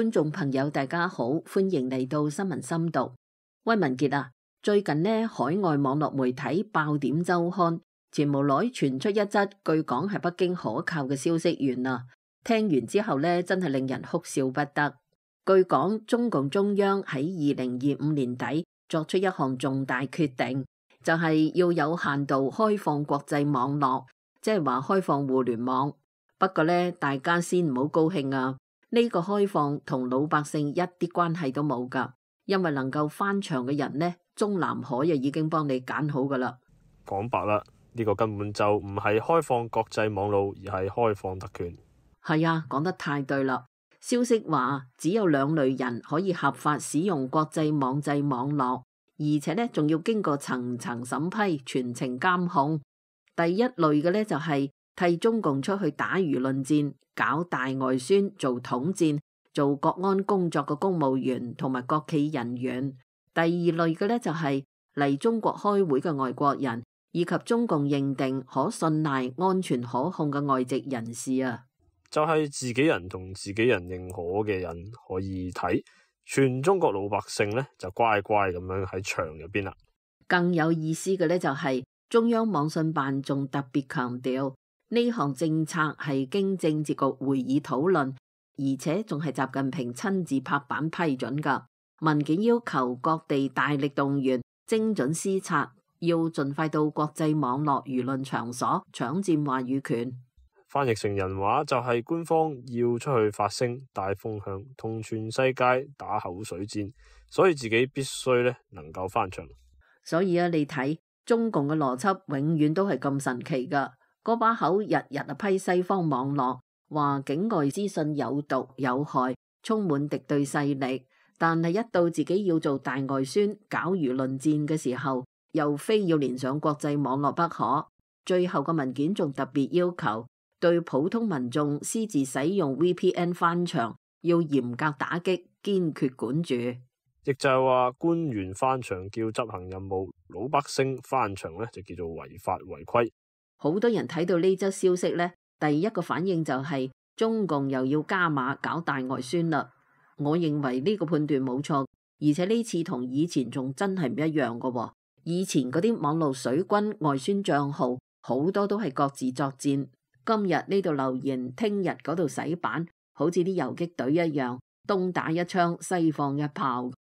觀眾朋友，大家好，歡迎嚟到新聞深讀。威文傑啊，最近呢，海外網絡媒體爆點週刊前無來傳出一則據講係北京可靠嘅消息源啊，聽完之後呢，真係令人哭笑不得。據講，中共中央喺2025年底作出一項重大決定，就係要有限度開放國際網絡，即係話開放互聯網。不過呢，大家先唔好高興啊！呢個開放同老百姓一啲關係都冇噶，因為能夠翻牆嘅人呢，中南海就已經幫你揀好噶啦。講白啦，呢個根本就唔係開放國際網路，而係開放特權。係啊，講得太對啦！消息話只有2類人可以合法使用國際網際網絡，而且呢仲要經過層層審批、全程監控。第一類嘅呢就係替中共出去打輿論戰、搞大外宣、做統戰、做國安工作嘅公務員同埋國企人員。第二類嘅呢，就係嚟中國開會嘅外國人，以及中共認定可信賴、安全可控嘅外籍人士啊。就係自己人同自己人認可嘅人可以睇，全中國老百姓呢就乖乖咁樣喺牆入邊啦。更有意思嘅呢，就係中央網信辦仲特別強調，呢項政策係經政治局會議討論，而且仲係習近平親自拍板批准噶。文件要求各地大力動員，精準施策，要盡快到國際網絡輿論場所搶佔話語權。翻譯成人話就係官方要出去發聲、帶風向，同全世界打口水戰，所以自己必須呢能夠翻牆。所以啊，你睇中共嘅邏輯永遠都係咁神奇噶。嗰把口日日批西方網絡，話境外資訊有毒有害，充滿敵對勢力。但係一到自己要做大外宣、搞輿論戰嘅時候，又非要連上國際網絡不可。最後個文件仲特別要求，對普通民眾私自使用 VPN 翻牆，要嚴格打擊，堅決管住。亦就係話，官員翻牆叫執行任務，老百姓翻牆呢就叫做違法違規。好多人睇到呢則消息呢，第一個反應就係中共又要加碼搞大外宣啦。我認為呢個判斷冇錯，而且呢次同以前仲真係唔一樣噶喎。以前嗰啲網路水軍外宣賬號好多都係各自作戰，今日呢度留言，聽日嗰度洗版，好似啲游擊隊一樣，東打一槍，西放一炮。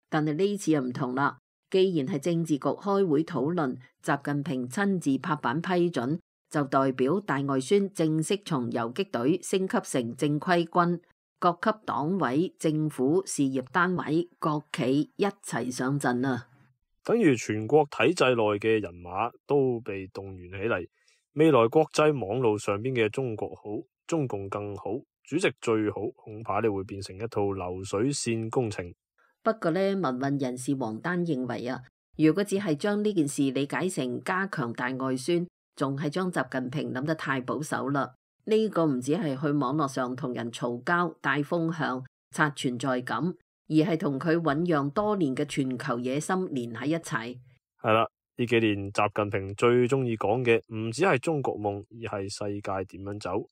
但係呢次又唔同啦。既然係政治局開會討論，習近平親自拍板批准，就代表大外宣正式從游擊隊升級成正規軍，各級黨委、政府、事業單位、國企一齊上陣啦。等於全國體制內嘅人馬都被動員起嚟，未來國際網路上邊嘅中國好，中共更好，主席最好，恐怕你會變成一套流水線工程。不過呢，民運人士王丹認為啊，如果只係將呢件事理解成加強大外宣，仲係將習近平諗得太保守啦。呢個唔止係去網絡上同人嘈交、帶風向、刷存在感，而係同佢醞釀多年嘅全球野心連喺一齊。係啦，呢幾年習近平最中意講嘅唔止係中國夢，而係世界點樣走。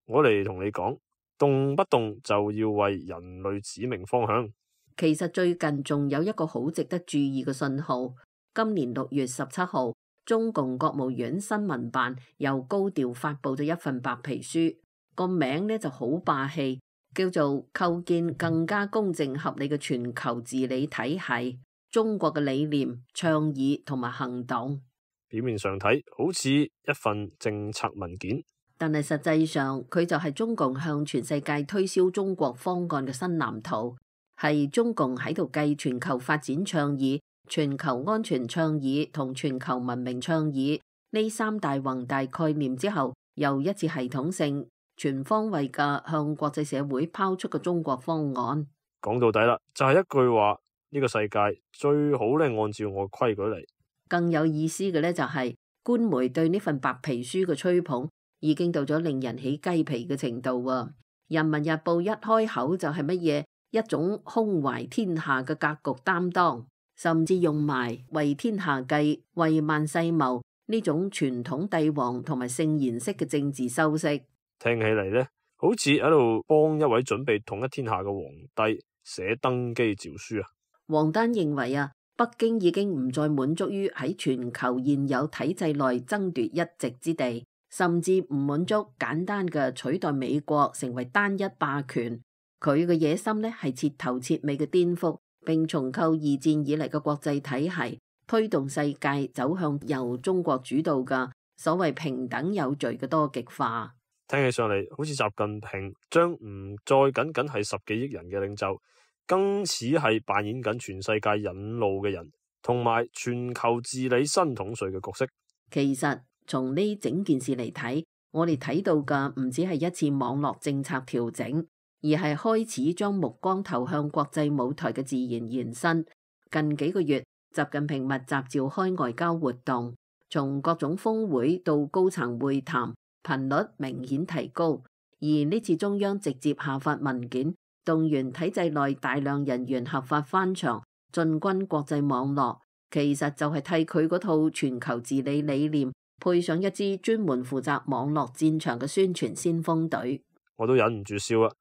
我嚟同你講，動不動就要為人類指明方向。其實最近仲有一個好值得注意嘅信號。今年6月17號，中共國務院新聞辦又高調發佈咗一份白皮書，個名呢就好霸氣，叫做構建更加公正合理嘅全球治理體系。中國嘅理念、倡議同埋行動，表面上睇好似一份政策文件，但係實際上佢就係中共向全世界推銷中國方案嘅新藍圖。係中共喺度繼全球發展倡議、全球安全倡議同全球文明倡議呢3大宏大概念之後，又一次系統性、全方位嘅向國際社會拋出個中國方案。講到底啦，就係一句話，呢個世界最好咧按照我規矩嚟。更有意思嘅呢，就係官媒對呢份白皮書嘅吹捧已經到咗令人起雞皮嘅程度啊！人民日報一開口就係乜嘢？一種胸懷天下嘅格局擔當，甚至用埋為天下計、為萬世謀呢種傳統帝王同埋聖賢式嘅政治修飾，聽起嚟呢，好似喺度幫一位準備統一天下嘅皇帝寫登基詔書啊。王丹認為啊，北京已經唔再滿足於喺全球現有體制內爭奪一席之地，甚至唔滿足簡單嘅取代美國成為單一霸權。佢嘅野心呢係徹頭徹尾嘅顛覆，並重構二戰以嚟嘅國際體系，推動世界走向由中國主導嘅所謂平等有序嘅多極化。聽起上嚟好似習近平將唔再僅僅係10幾億人嘅領袖，更似係扮演緊全世界引路嘅人，同埋全球治理新統帥嘅角色。其實從呢整件事嚟睇，我哋睇到嘅唔止係一次網絡政策調整，而係開始將目光投向國際舞台嘅自然延伸。近幾個月，習近平密集召開外交活動，從各種峰會到高層會談，頻率明顯提高。而呢次中央直接下發文件，動員體制內大量人員合法翻牆，進軍國際網絡，其實就係替佢嗰套全球治理理念配上一支專門負責網絡戰場嘅宣傳先鋒隊。我都忍唔住笑啦，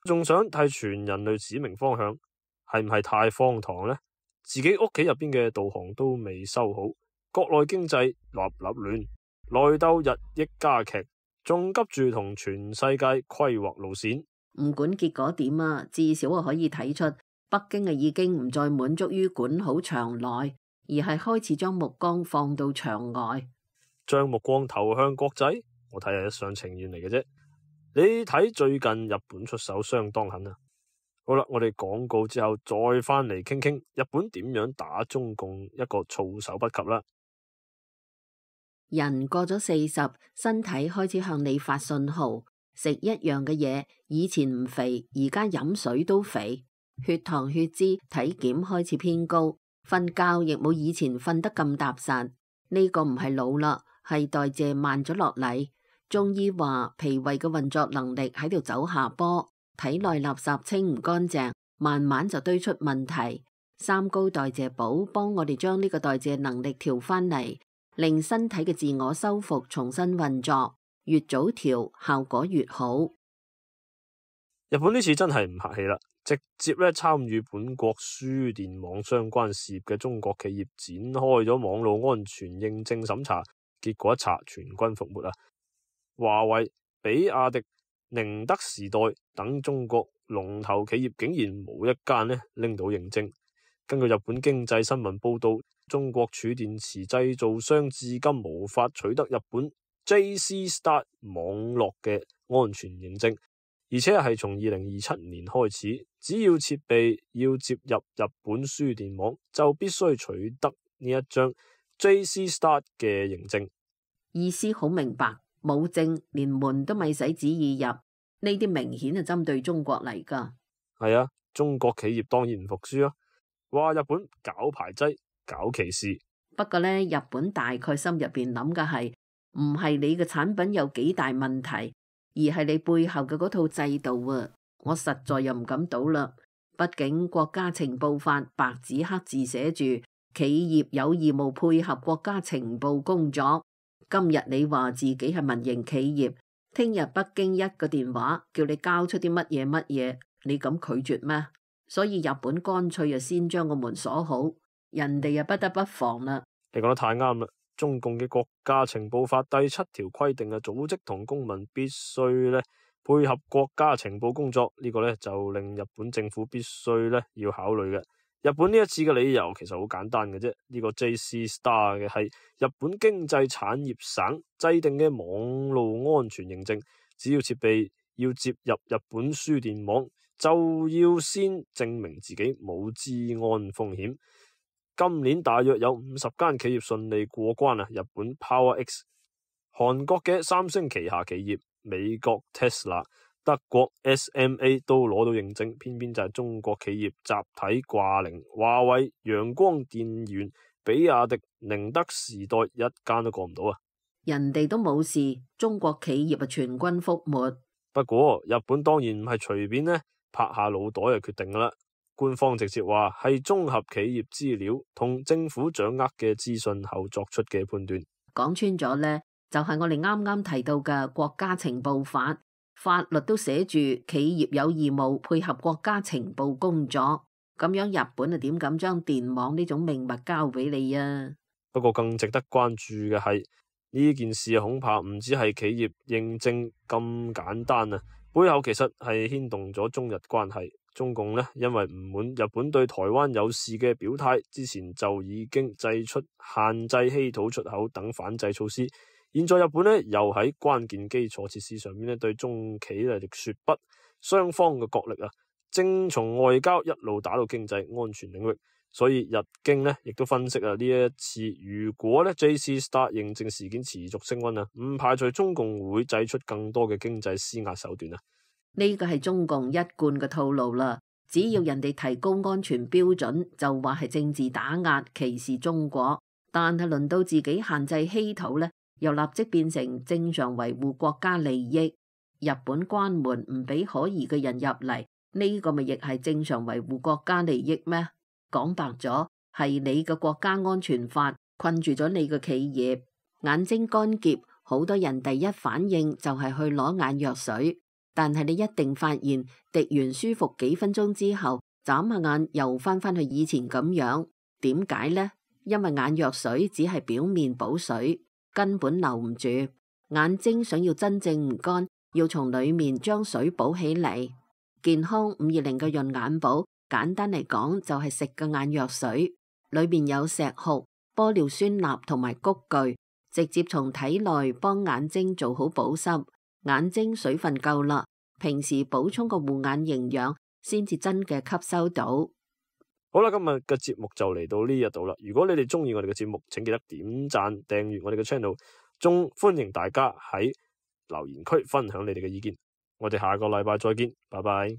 仲想替全人類指明方向，係唔係太荒唐呢？自己屋企入邊嘅導航都未修好，國內經濟立立亂，內鬥日益加劇，仲急住同全世界規劃路線。唔管結果點啊，至少我可以睇出北京已經唔再滿足於管好場內，而係開始將目光放到場外，將目光投向國際。我睇係一廂情願嚟嘅啫。你睇最近日本出手相當狠啊！好啦，我哋廣告之後再翻嚟傾傾日本點樣打中共一個措手不及啦。人過咗40，身體開始向你發信號，食一樣嘅嘢，以前唔肥，而家飲水都肥，血糖血脂體檢開始偏高，瞓覺亦冇以前瞓得咁踏實。呢個唔係老啦，係代謝慢咗落嚟。中醫話脾胃嘅運作能力喺度走下坡，體內垃圾清唔乾淨，慢慢就堆出問題。三高代謝寶幫我哋將呢個代謝能力調翻嚟，令身體嘅自我修復重新運作，越早調效果越好。日本呢次真係唔客氣啦，直接參與本國輸電網相關事業嘅中國企業展開咗網絡安全認證審查，結果一查全軍覆沒啊！華為、比亞迪、寧德時代等中國龍頭企業竟然冇一間拎到認證。根據日本經濟新聞報道，中國儲電池製造商至今無法取得日本 JC-Start 網絡嘅安全認證，而且係從2027年開始，只要設備要接入日本輸電網，就必須取得呢一張 JC-Start 嘅認證。意思好明白。冇證，連門都咪使旨意入，呢啲明顯係針對中國嚟噶。係啊，中國企業當然唔服輸啊，話日本搞排擠、搞歧視。不過呢，日本大概心入邊諗嘅係，唔係你嘅產品有幾大問題，而係你背後嘅嗰套制度啊。我實在又唔敢賭啦，畢竟國家情報法白紙黑字寫住，企業有義務配合國家情報工作。今日你話自己係民營企業，聽日北京一個電話叫你交出啲乜嘢，你敢拒絕咩？所以日本乾脆就先將個門鎖好，人哋又不得不防啦。你講得太啱啦！中共嘅國家情報法第7條規定嘅組織同公民必須配合國家情報工作，呢個就令日本政府必須要考慮嘅。日本呢一次嘅理由其實好簡單嘅啫，呢個 JC-Star 嘅係日本經濟產業省制定嘅網路安全認證，只要設備要接入日本輸電網，就要先證明自己冇資安風險。今年大約有50間企業順利過關啊，日本 PowerX、韓國嘅三星旗下企業、美國 Tesla、德國 SMA 都攞到認證，偏偏就係中國企業集體掛零，華為、陽光電源、比亞迪、寧德時代一間都過唔到啊！人哋都冇事，中國企業全軍覆沒。不過日本當然唔係隨便拍下腦袋就決定噶啦，官方直接話係綜合企業資料同政府掌握嘅資訊後作出嘅判斷。講穿咗呢，就係我哋啱啱提到嘅國家情報法。法律都寫住企業有義務配合國家情報工作，咁樣日本啊點敢將電網呢種命脈交俾你啊？不過更值得關注嘅係呢件事恐怕唔止係企業認證咁簡單啊，背後其實係牽動咗中日關係。中共呢，因為唔滿日本對台灣有事嘅表態，之前就已經祭出限制稀土出口等反制措施。現在日本呢，又喺關鍵基礎設施上面呢對中企嚟說不，雙方嘅角力啊，正從外交一路打到經濟安全領域。所以日經呢亦都分析啊，呢一次如果呢 JC Star 認證事件持續升溫啊，唔排除中共會祭出更多嘅經濟施壓手段啊。呢個係中共一貫嘅套路啦，只要人哋提高安全標準，就話係政治打壓歧視中國，但係輪到自己限制稀土呢，又立即變成正常維護國家利益。日本關門唔俾可疑嘅人入嚟，呢個咪亦係正常維護國家利益咩？講白咗，係你嘅國家安全法困住咗你嘅企業，眼睛乾澀，好多人第一反應就係去攞眼藥水。但係你一定發現滴完舒服幾分鐘之後，眨下眼又翻去以前咁樣。點解呢？因為眼藥水只係表面補水，根本留唔住。眼睛想要真正唔乾，要從裏面將水補起嚟。健康520嘅潤眼寶，簡單嚟講就係食嘅眼藥水，裏面有石斛、玻尿酸鈉同埋菊苣，直接從體內幫眼睛做好保濕。眼睛水分夠啦，平時補充個護眼營養，先至真嘅吸收到。好啦，今日嘅節目就嚟到呢一度啦。如果你哋中意我哋嘅節目，請記得點讚、訂閱我哋嘅 channel， 仲歡迎大家喺留言區分享你哋嘅意見。我哋下個禮拜再見，拜拜。